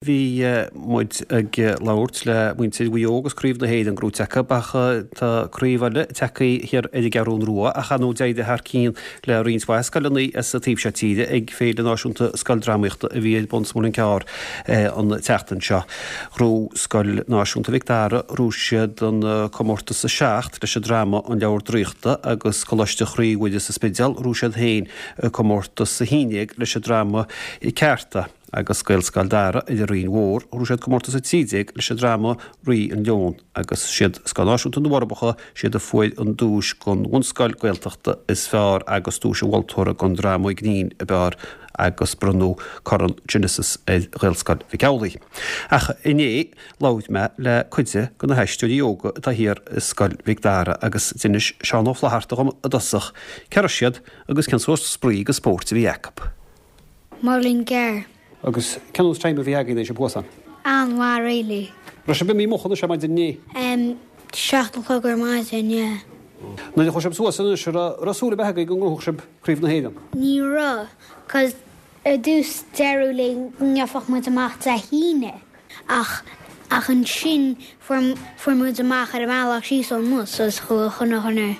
Bhí muid ag labhairt le muintir Mhaigh Eo agus Craobh na hÉireann gnóite acu ach tá craobh eile tagtha thiar ar an gCeathrún Rua ach ar ndóigh d'éirigh thar cionn le roinnt mhaith scoileanna as an taobh seo tíre ag Féile Náisiúnta Scoildrámaíochta a bhí ar bun sa Muileann Cearr an tseachtain seo. Ghnóthaigh Scoil Náisiúnta Mhic Dara, ghnóthaigh siad an comórtas 7 leis an dráma An Leabhar Draíochta agus Coláiste Chroí Mhuire sa Spidéal, ghnóthaigh siad féin comórtas 11 leis an dráma Ceárta. Agus Gaelscoil Dara ar an Rinn Mhór, ghnóthaigh siad comórtas 13 leis an dráma Rí an Leon agus siad Scoil Náisiúnta na bhForbacha siad a fuair an duais don bhunscoil Gaeltachta is fearr agus duais an mholtóra don dráma grinn ab fhearr agus bronnadh Corn Genesis ar Ghaelscoil Mhic Amhlaigh. Ach inné labhair mé le cuid de na haisteoirí óga atá thiar i Scoil Mhic Dara agus d'inis Seán Ó Flatharta dhom i dtosach cé raibh siad agus cén sórt spraoi agus spóirt a bhí acu. Muileann gCearr. Agus cén nós time a bhí agaibh anois thuas ann? An-mhaith really. Raibh sibh imithe moch anois ar maidin inné? Em, 7 a chlog ar maidin, yeah. Nuair a chuaigh sibh suas anois, an raibh, raibh súil ar bith agaibh go ngnóthódh sibh Craobh na hÉireann? Ní raibh, 'cause ar dtús deireadh linn go ngeobhadh muid amach Dé hAoine ach, ach ansin fuair, fuair muid amach ar an mbealach síos ón mbus agus chuaigh chuile dhuine.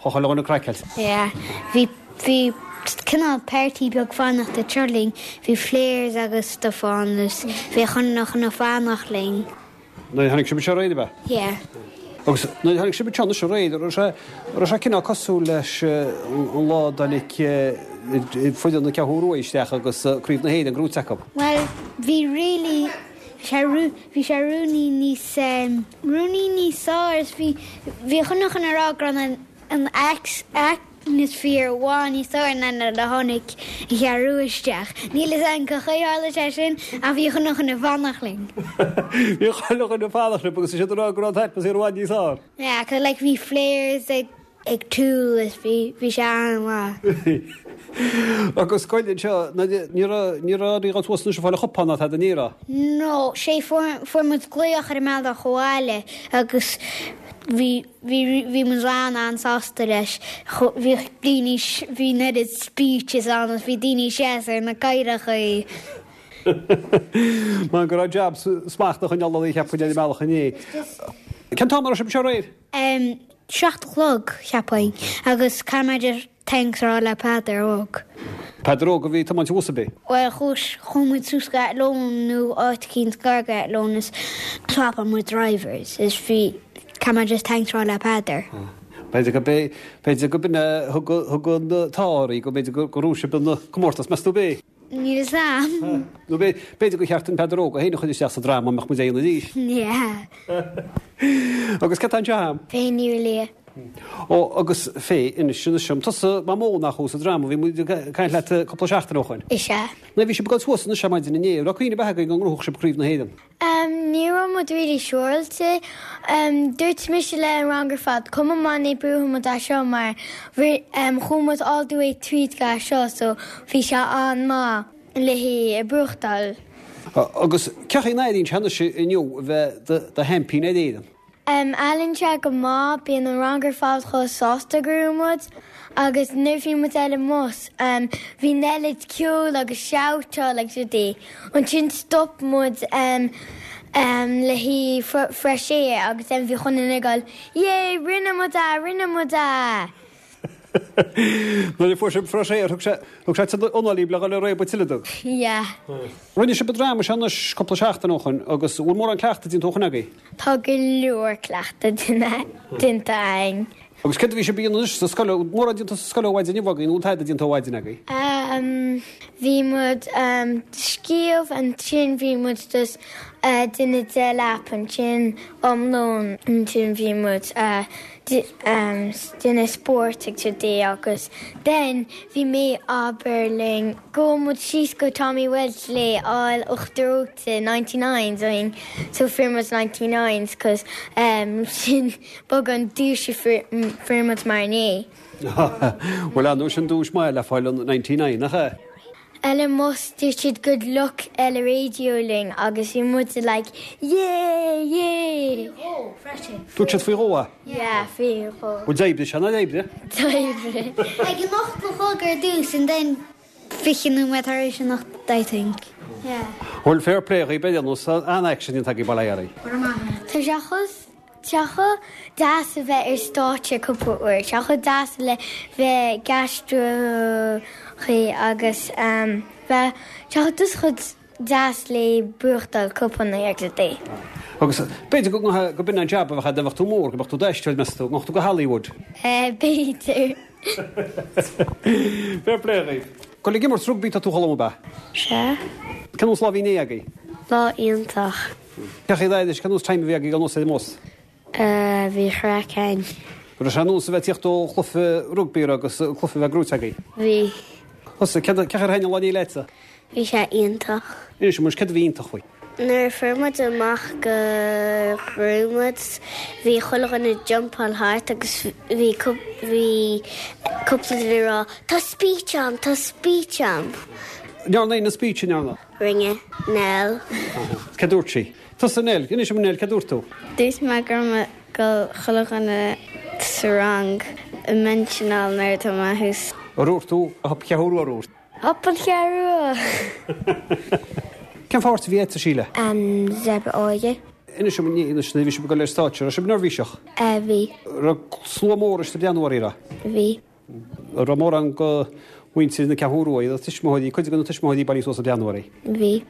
Chuaigh chuile dhuine craiceáilte. Yeah. Bhí, bhí cineál party beag fanacht ag seo linn. Bhí flares agus stuff ann agus bhí chuile dhuine fanacht linn. Nuair a tháinig sibh anseo aréir, ab ea? Yeah. Agus nuair a tháinig sibh anseo anois aréir, an raibh sé, an raibh sé cineál cosúil leis an lá a dtáinig foireann na Ceathrún Rua isteach agus Craobh na hÉireann gnóite acu? Bhuel, bhí really, bhí sé, bhí sé ruainnín níos, ruainnín níos fearr is bhí, bhí chuile dhuine ag rá go raibh an, an atmosphere i bhfad níos fearr ná nuair a tháinig an Cheathrú Rua isteach. Níl fhios agam cén chaoi a tharla sé sin ach bhí chuile dhuine ag fanacht linn. Bhí chuile dhuine ag fanacht libh agus is iad ag rá go raibh an t-atmaisféar i bhfad níos fearr. Yeah, 'cause like bhí flares ag. ag túl is bhí, bhí sé an-mhaith. Agus scoil anseo, ní raibh, ní raibh oraibh dul suas anois ag fáil an chupán ná tada, ní raibh? No, sé fuair, fuair muid glaoch ar an mbealach abhaile agus bhí, bhí, bhí muid an-an-sásta leis. Bhí daoine, bhí an oiread speeches ann agus bhí daoine ag seasamh ar na cathaoireacha. Mar go raibh jab smacht a choinneáil oraibh cheapfainn ar an mbealach inné. Cén t-am a raibh sibh anseo aréir? Em, 7 a chlog, cheapfainn, agus caithfidh mé just thanks a rá le Peadar Óg. Peadar Óg a bhí ag tiomáint an bhus ab é? Bhuel, chuas, chuaigh muid suas go Athlone nó áit eicínt gar go Athlone is swapáil muid drivers is bhí, caithfidh mé just thanks a rá le Peadar. B'fhéidir go b'é, b'fhéidir go b'in a thug, thug an t-ádh oraibh, go mb'fhéidir go raibh sibh ina comórtas, meas tú ab é? Níl fhios a'm. Nó b'fhéidir gur cheart an Peadar Óg é féin a chur isteach sa dráma, mbeadh muid á dhéanamh arís. Yeah. Agus cé atá anseo a'm? Faye Ní Lia. Ó, agus Faye, inis anois dom, tusa mamó nach thú sa dráma, bhí muid ag caint leat cúpla seachtain ó shoin. Is ea. Nuair a bhí sibh ag dul suas anois ar maidin inné, raibh cuimhne ar bith agaibh go ngnóthódh sibh Craobh na hÉireann? Em, ní raibh muid really siúráilte. Em, dúirt mise le an rang ar fad, cuma má ní buafaidh muid é seo mar bhí, em, chuaigh muid all the way tríd go é seo so bhí sé an-maith le haghaidh buachtáil. Agus cén chaoi a n-airíonn sé anois inniu a bheith do, do sheaimpín ar Éirinn? Em, airíonn sé go maith, bíonn an rang ar fad chomh sásta go raibh muid agus nuair bhí muid ar an mbus, em, bhí an oiread ceoil agus shoutáil agus rudaí. Ansin stop muid, em, em, le haghaidh fresh air agus em bhí chuile dhuine ag goil, yay, rinne muid é, rinne muid é! Nuair a fuair sibh fresh air, thug sé, thug sé anáil libh le dhul ag réabadh tuilleadh dó. Yeah. Rinne sibh an dráma seo anois cúpla seachtain ó shoin agus bhfuil mórán cleachtaidh déanta ó shoin agaibh? Tá go leor cleachtadh déanta againn. Agus céard a bhí sibh a dhéanamh anois sa scoil, mórán déanta sa scoil ó mhaidin inniu agaibh nó an tada déanta ó mhaidin agaibh? Ehm, bhí muid ag scríobh, ansin bhí muid just déanamh deich lap ansin um lón, ansin bhí muid déanamh spóirt ag today agus then bhí mé abair linn go muid síos go Tommy Walsh le fháil uachtar reoite 99s againn so fuair muid 99s cos sin beag an duais a fuair muid mar inné. Bhuel ar ndóigh sin duais maith le fáil an 99 nach ea? Ar an mbus dúirt siad good luck ar an radio linn agus bhí muid like yeah yeah! Faoi dhó freisin. Dúirt siad faoi dhó é? Yeah faoi dhó. Bhuel d'oibrigh sé, nár oibrigh? D'oibrigh. Ag an 8 a chlog ar dtús and then 20 nóiméad tar éis an 8 I think. Yeah. Bhuel, fair play dhaoibh, ar aon nós, an-aicsean déanta agaibh, bail ó Dhia oraibh. Go raibh maith agat. Tá sé chomh, sé chomh deas a bheith ar stáitse cúpla uair, sé chomh deas le bheith ag aisteoireacht agus bheith, sé chomh just chomh deas le buachtáil cupanna agus rudaí. Agus b'fhéidir go go b'in an jab a bheadh agat dá mbeadh tú mór, go mbeadh tú d'aisteoir, meas tú, go mbeadh tú go Hollywood? B'fhéidir. Fair play dhaoibh. Dul ag imirt rugbaí tá tú a Cholm ab ea? Sea. Cén nós lá a bhí inné agaibh? Lá iontach. Cén chaoi anois, cén nós time a bhí agaibh anuas ar an mbus? Bhí craic ann. Raibh sé ar nós a bheith ag tíocht ó chluiche rugbaí agus cluiche a bheith gnóite agaibh? Bhí. Thusa, céard a, cén chaoi ar thaitin an lá inné leatsa? Bhí sé iontach. Inis dom anois, céard a bhí iontach faoi? Nuair a fuair muid amach go raibh muid, bhí chuile dhuine ag jumpáil thart agus bhí bhí cúpla duine ag rá 'Tá speech a'm! Tá speech a'm! Ndearna éinne speech, an ndearna? Rinne Nell. Céard dúirt sí? Tusa Nell, inis dom Nell, céard dúirt tú? Dúirt mé go raibh mé ag dul chuile dhuine sa rang a mentionáil nuair atá mé thuas. Ar dhúirt tú Hup Cheathrú Rua ar dhúirt? Hup an Cheathrú Rua! Cén pháirt a bhí agat, a Síle? An Zebra Óige. Inis dom anois nuair a bhí sibh ag dul ar stáitse, raibh sibh neirbhíseach? Bhí. Raibh slua mór istigh ag breathnú oraibh, raibh? Bhí. An raibh mórán de mhuintir na Ceathrún Rua, iad tuismitheoirí, cuid de na tuismitheoirí bailithe suas ag breathnú oraibh? Bhí.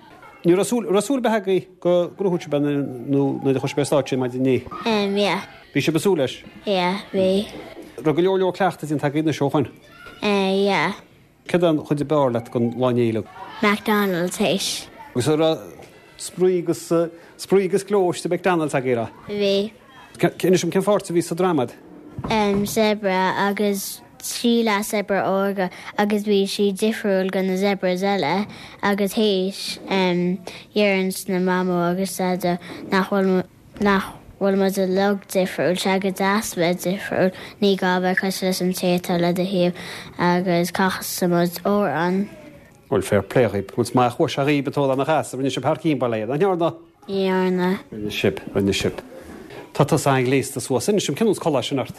Ní raibh súil, raibh súil ar bith agaibh go ngnóthódh sibh é nó nuair a chuaigh sibh ar stáitse maidin inné? Em, yeah. Bhí sibh ag súil leis? Yeah, bhí. Raibh go leor leor cleachtaidh déanta agaibh anois ó shoin? Eh, yeah. Céard é an chuid ab fhearr leat den lá inné uilig? McDonald's théis. Agus an raibh spraoi agus, spraoi agus gleo istigh i McDonald's agaibh, raibh? Bhí. Inis dom cén pháirt a bhí sa dráma a'd? Em, zebra agus Síle zebra órga agus bhí sí difriúil go na zebras eile agus théis, em, dheireanns na mamó agus daideo nach bhfuil, nach bhfuil muid uilig difriúil, sé go deas bheith difriúil, ní gá bheith cosúil leis an té atá le do thaobh agus casadh muid amhrán. Bhuel, fair play dhaoib. Bhuel, is maith a chuaigh sé dhaoib an t-ól ana-dheas, rinne sibh thar cionn, bail ó Dhia, nach ndearna? Ndearna. Rinne sibh, rinne sibh. Tá tusa an-ghléasta suas. Inis dom, cén nós culaith sin ort?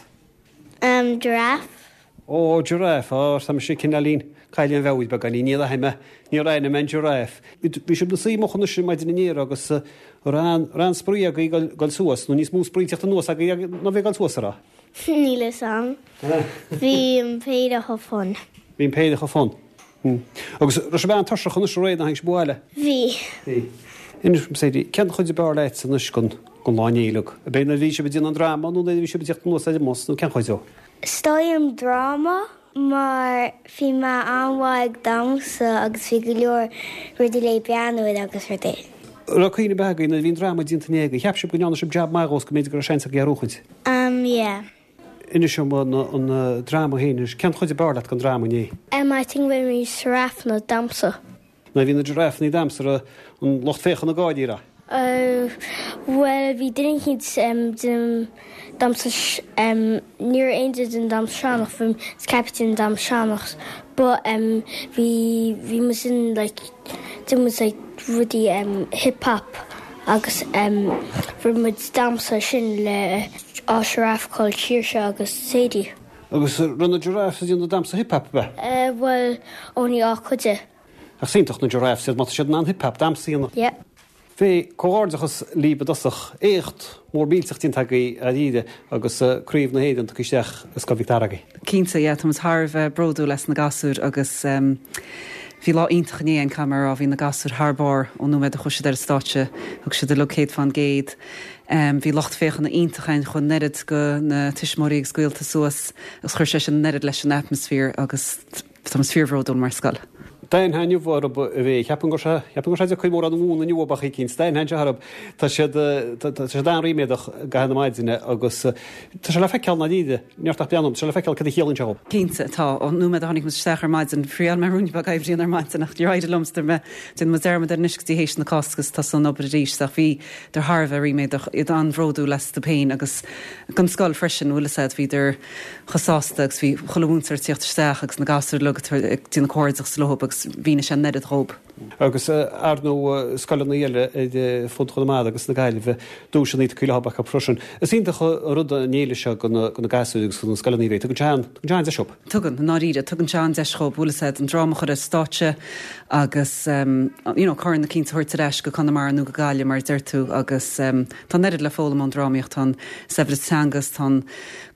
Em, giraffe. Ó, giraffe, á, tá mise cineáilín caillte im mheabhair beagáinín, níor aithin mé, níor aithin mé an giraffe. Bhí sibh ina suí amuigh anois maidin inné agus raibh an, raibh an-spraoi agaibh ag dul suas, nó níos mó spraoi ag tíocht anuas agaibh ná bhí ag dul suas, an raibh? Níl fhios a'm. Bhí an péire chomh fun. Bhí an péire chomh fun. Agus raibh sibh an-tuirseach anois aréir nuair a tháinig sibh abhaile? Bhí. Bhí. Inis dom, Sadie, cén chuid ab fhearr leat anois den lá inné uilig? Ab é nuair a bhí sibh ag déanamh an dráma nó nuair a bhí sibh ag tíocht anuas ar an mbus nó cén chuid dó? Is dóigh an dráma mar bhí mé an-mhaith ag damhsa agus bhí go leor rudaí le breathnú air agus rudaí. Raibh cuimhne ar bith agaibh nuair a bhí an dráma déanta inné agaibh? Cheap sibh go ndearna sibh jab maith dhó is go mb'fhéidir go raibh seans agaibh é a bhuachaint? Umm yeah. Inis dom an dráma féin anois. Cén chuid ab fhearr leat den dráma inné? Em I think when bhí giraffeanna ag damhsa. Nuair a bhí na giraffeanna ag damhsa raibh an lucht féachana ag gáirí, raibh? Oh bhuel bhí duine eicínt em déanamh damhsa em ní raibh aon duine déanamh damhsa sean-nós bhí ceapaim déanamh damhsa sean-nós but em bhí bhí muid in like déanamh muid like rudaí em hip hop agus em rinne muid damhsa sin le á giraffe called Saoirse agus Sadie. Agus raibh na giraffes ag déanamh damhsa hip hop ab ea? Eh bhuel only á cuid de. Ach is iontach na giraffes iad má tá siad in ann hip hop damhsa a dhéanamh. Yeah. Bhuel, comhghairdeachas libh i dtosach. Éacht mór millteach déanta agaibh dáiríre agus Craobh na hÉireann tugtha isteach i Scoil Mhic Dara agaibh. Cinnte, yeah, tá muid thar a bheith bródúil as na gasúir agus bhí lá iontach inné ann, caithfidh mé a rá, bhí na gasúir thar barr ón nóiméad a chuaigh siad ar an stáitse, thug siad uilig 100%. Bhí lucht féachana iontach ann, chuaigh an oiread go na tuismitheoirí agus gaolta suas agus chuir sé sin an oiread leis an atmaisféar agus Tá muid fíorbhródúil mar scoil. D'aithneofá inniu orthu a bhí, cheapfainn go raibh sé, cheapfainn go raibh sé deacair mórán a mhúineadh inniu ab eicínt. D'aithneofá orthu, tá siad, tá siad an-ríméadach i gcaitheamh na maidine agus tá sé le feiceáil ndáiríre, ní ort ach breathnú, tá sé le feiceáil cad a chiallaíonn sé dhóibh. Cinnte, tá. Ón nóiméad a tháinig muid isteach ar maidin, thriail mé ruainne beag oibre a dhéanamh ar maidin ach níor éirigh liom, so dúirt mé, déanfaidh muid dearmad air anois go dtí théis na Cásca agus tosóidh an obair arís. Ach bhí, bhíodar thar a bheith ríméadach, iad an-bhródúil astu féin agus den scoil freisin, bhfuil fhios a'd, bhíodar, chomh sásta agus bhí chuile mhúinteoir ag tíocht isteach agus na gasúir uilig ag déanamh comhghairdeachas leob agus mhínigh sé an oiread dhób. Agus ar ndóigh scoileanna eile ar fud Chonamara agus na Gaillimhe, duaiseanna tugtha leo acu freisin. Is iontach an rud an fhéile seo do na gasúir agus do na scoileanna a bheith. Tugann sé an, tugann sé an-deis dhóibh. Tugann, i ndáiríre. Tugann sé an-deis dhóibh, bhfuil fhios a'd, an dráma a chur ar stáitse agus you know corn eicínt a thabhairt ar ais go Conamara nó go Gaillimh mar a deir tú agus tá an oiread le foghlaim ón drámaíocht, tá an saibhreas teanga is tá an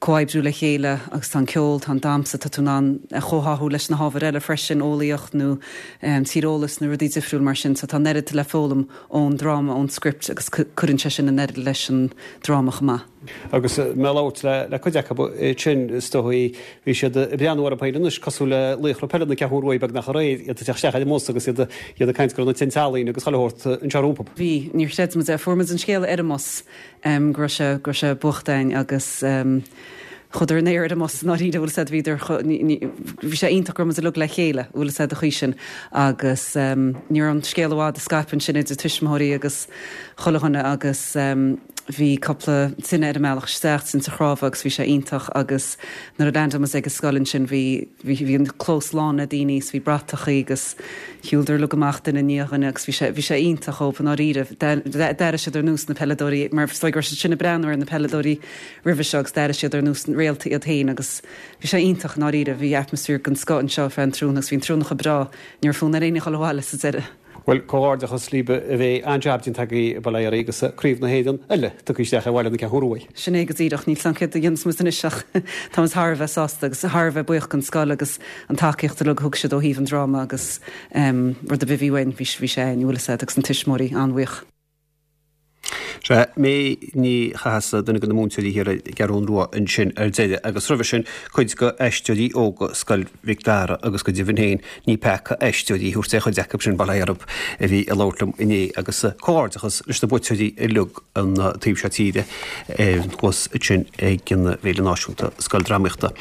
comhoibriú le chéile agus tá an ceol, tá an damhsa, tá tú in ann a chomhtháthú leis na hábhair eile freisin, eolaíocht nó tíreolas nó rudaí difriúil mar sin. So tá an oiread le foghlaim ón dráma, ón script agus cuireann sé sin an oiread leis an dráma chomh maith. Agus mé ag labhairt le cuid acu sin, is dóigh, bhí siad ag breathnú orthu féin anois cosúil le laochra peile na Ceathrún Rua beagnach aréir, iad ag teacht isteach ar an mbus agus iad ag caint go raibh na tinte ealaíne agus chuile shórt anseo rompu. Bhí, níor chreid muid é. Fuair muid an scéala ar an mbus. go raibh sé, go raibh sé buachta againn agus chuadar in aer ar an mbus i ndáiríre, bhfuil fhios a'd, bhíodar, bhí sé iontach go raibh muid uilig le chéile, bhfuil fhios a'd, an chaoi sin agus ní raibh an scéal i bhfad ag scaipeadh ansin idir tuismitheoirí agus chuile dhuine agus bhí cúpla tine ar an mbealach isteach, tinte chnámha agus bhí sé iontach agus nuair a leaindeáil muid ag an scoil ansin bhí, bhí, bhí an clós lán le daoine is bhí bratachaí agus Shiúladar uilig amach duine i ndiaidh dhuine agus bhí sé, bhí sé iontach dhóibh i ndáiríre. D'airigh siad ar nós na peileadóirí, mar is dóigh go raibh siad sin ag breathnú ar na peileadóirí roimhe seo agus d'airigh siad ar nós réalta iad féin agus bhí sé iontach i ndáiríre. Bhí atmaisféar den scoth anseo ar feadh an tráthnóna agus bhí an tráthnóna chomh breá, ní raibh fonn ar éinne dhul abhaile sa deireadh. Bhuel, comhghairdeachas libh a bheidh an-jab déanta agaibh, bail ó Dhia oraibh agus Craobh na hÉireann eile tugtha isteach ar bhaile na Ceathrún Rua. Sin é go díreach. Níl 's a'm céard a dhéanfas muid anois ach tá muid thar a bheith sásta agus thar a bheith buíoch den scoil agus an tacaíocht uilig a thug siad ó thaobh an dráma agus rud ar bith a bhí uainn, bhí sé againn, bhfuil 'fhios a'd, agus na tuismitheoirí an-bhuíoch. Sea, May Ní Chathasaigh, duine de na múinteoirí thiar ar an gCeathrún Rua ansin ar deireadh agus roimhe sin cuid de aisteoirí óga Scoil Mhic Dara agus go deimhin féin ní peaca aisteoirí a thabhairt ar chuid acu sin, bail ó Dhia orthu, a bhí ag labhairt liom inné agus comhghairdeachas leis na buaiteoirí uilig an taobh seo tíre thuas ansin ag an bhFéile Náisiúnta Scoildrámaíochta.